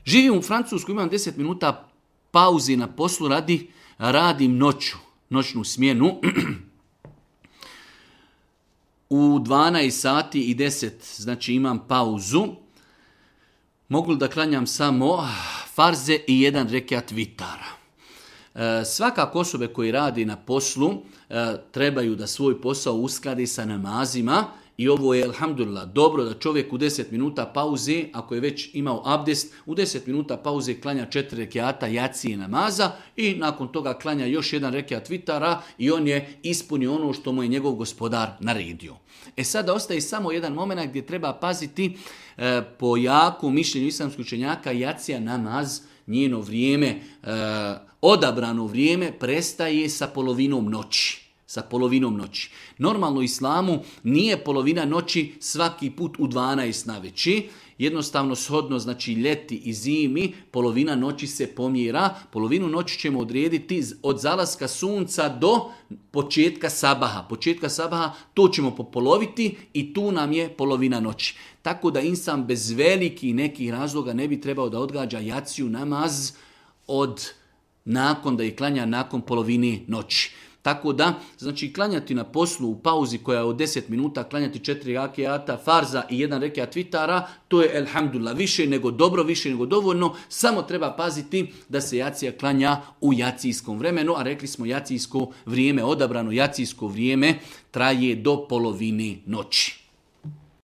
Živim u Francuskoj, imam 10 minuta pauzi na poslu, radim noćnu smjenu. U 12 sati i 10, znači imam pauzu. Mogu li da klanjam samo farze i jedan rekiat vitara? Svakako osobe koji radi na poslu trebaju da svoj posao uskladi sa namazima i ovo je, alhamdulillah, dobro da čovjek u 10 minuta pauze, ako je već imao abdest, u 10 minuta pauze klanja 4 rekiata jacije namaza i nakon toga klanja još jedan rekiat vitara i on je ispunio ono što mu je njegov gospodar naredio. Sada ostaje samo jedan moment gdje treba paziti po jaku mišljenju islamskih učenjaka, jacija namaz, njeno vrijeme, odabrano vrijeme prestaje sa polovinom noći. Normalno u islamu nije polovina noći svaki put u 12 navečer. Jednostavno shodno, znači ljeti i zimi, polovina noći se pomjera. Polovinu noći ćemo odrediti od zalaska sunca do početka sabaha. Početka sabaha to ćemo popoloviti i tu nam je polovina noći. Tako da insan bez velikih nekih razloga ne bi trebao da odgađa jaciju namaz nakon da je klanja nakon polovine noći. Tako da, znači klanjati na poslu u pauzi koja je od 10 minuta, klanjati 4 rekiata farza i 1 rekiat vitara, to je elhamdulillah više nego dobro, više nego dovoljno, samo treba paziti da se jacija klanja u jacijskom vremenu, a rekli smo jacijsko vrijeme, odabrano jacijsko vrijeme traje do polovine noći.